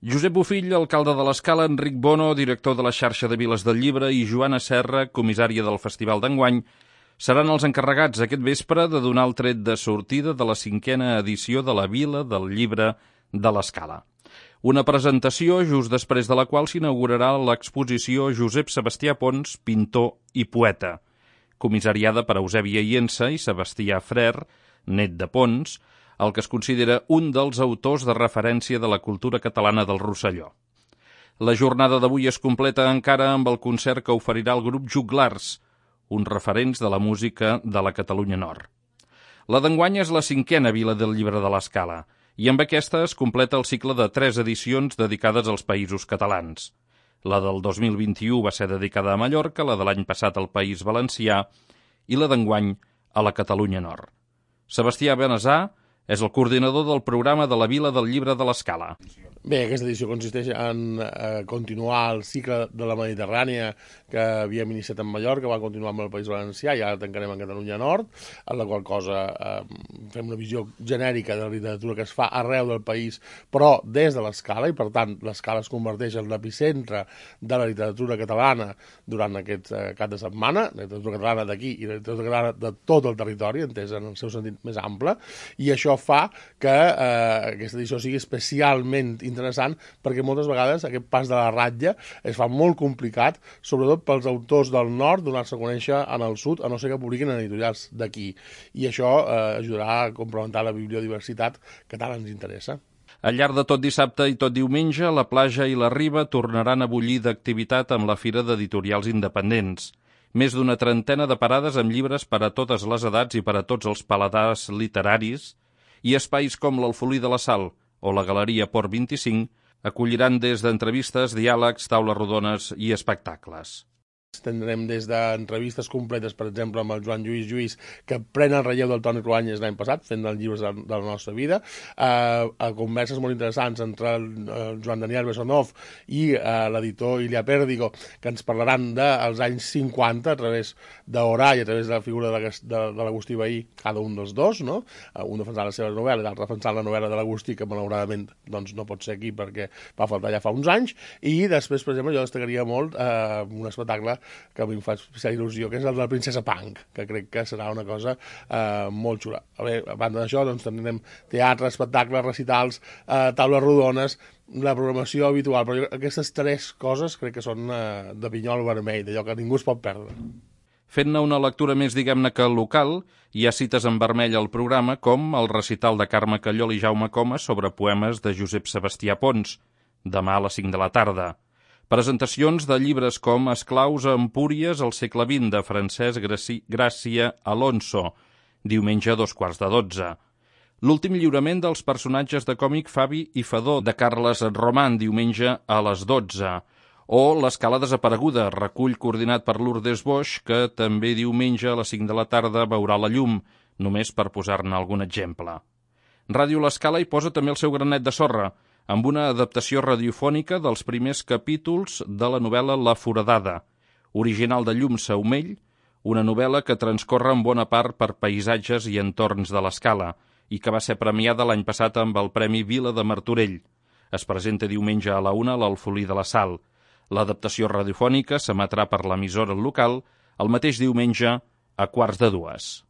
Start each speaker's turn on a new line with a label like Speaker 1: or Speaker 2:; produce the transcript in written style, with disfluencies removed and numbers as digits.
Speaker 1: Josep Bofill, alcalde de l'Escala, Enric Bono, director de la xarxa de Viles del Llibre, i Joana Serra, comissària del Festival d'enguany, seran els encarregats aquest vespre de donar el tret de sortida de la 5a edició de la Vila del Llibre de l'Escala. Una presentació just després de la qual s'inaugurarà l'exposició Josep Sebastià Pons, pintor i poeta, comissariada per Eusèbia Iensa i Sebastià Frer, net de Pons, el que es considera un dels autors de referència de la cultura catalana del Rosselló. La jornada d'avui es completa encara amb el concert que oferirà el grup Juglars, uns referents de la música de la Catalunya Nord. La d'enguany és la 5a Vila del Llibre de l'Escala, i amb aquesta es completa el cicle de 3 edicions dedicades als països catalans. La del 2021 va ser dedicada a Mallorca, la de l'any passat al País Valencià i la d'enguany a la Catalunya Nord. Sebastià Benazà és el coordinador del programa de la Vila del Llibre de l'Escala.
Speaker 2: Bé, aquesta edició consisteix en continuar el cicle de la Mediterrània que havíem iniciat en Mallorca, va continuar amb el País Valencià i ara tancarem en Catalunya Nord, en la qual cosa fem una visió genèrica de la literatura que es fa arreu del país, però des de l'Escala, i per tant l'Escala es converteix en l'epicentre de la literatura catalana durant aquest cap de setmana, la literatura catalana d'aquí i la literatura catalana de tot el territori, entesa en el seu sentit més ample, i això fa que aquesta edició sigui especialment interessant perquè moltes vegades aquest pas de la ratlla es fa molt complicat, sobretot pels autors del nord donar-se a conèixer en el sud, a no ser que publiquin en editorials d'aquí. I això ajudarà a complementar la bibliodiversitat que tant ens interessa.
Speaker 1: Al llarg de tot dissabte i tot diumenge, la platja i la riba tornaran a bullir d'activitat amb la Fira d'Editorials Independents. Més d'una trentena de parades amb llibres per a totes les edats i per a tots els paladars literaris, i espais com l'Alfolí de la Sal o la Galeria Port 25 acolliran des d'entrevistes, diàlegs, taules rodones i espectacles.
Speaker 2: Tindrem des d'entrevistes completes, per exemple, amb el Joan Lluís, que pren el relleu del Toni Cruanyes l'any passat, fent els llibres de la nostra vida, a converses molt interessants entre el Joan Daniel Bessonov i l'editor Ilia Pérdigo, que ens parlaran dels anys 50 a través d'Orà i a través de la figura de l'Agustí Bahí, cada un dels dos, no? Un defensant la seva novel·la i l'altre defensant la novel·la de l'Agustí, que malauradament doncs, no pot ser aquí perquè va faltar ja fa uns anys, i després, per exemple, jo destacaria molt un espectacle que a mi em fa especial il·lusió, que és el de la Princesa Punk, que crec que serà una cosa molt xula. A banda d'això, doncs, tindrem teatre, espectacles, recitals, taules rodones, la programació habitual, però aquestes 3 coses crec que són de pinyol vermell, d'allò que ningú es pot perdre.
Speaker 1: Fent-ne una lectura més, diguem-ne, que local, hi ha cites en vermell al programa, com el recital de Carme Callol i Jaume Comas sobre poemes de Josep Sebastià Pons, demà a les 5 de la tarda. Presentacions de llibres com Esclaus a Empúries al segle XX, de Francesc Gràcia Alonso, diumenge a 11:15. L'últim lliurament dels personatges de còmic Fabi i Fadó, de Carles Roman, diumenge a les 12. O L'Escala Desapareguda, recull coordinat per Lourdes Boix, que també diumenge a les 5 de la tarda veurà la llum, només per posar-ne algun exemple. Ràdio L'Escala hi posa també el seu granet de sorra, amb una adaptació radiofònica dels primers capítols de la novel·la La Foradada, original de Llum Saumell, una novel·la que transcorre en bona part per paisatges i entorns de l'Escala i que va ser premiada l'any passat amb el Premi Vila de Martorell. Es presenta diumenge a la 1 a l'Alfolí de la Sal. L'adaptació radiofònica s'emetrà per l'emissora local el mateix diumenge a 1:15.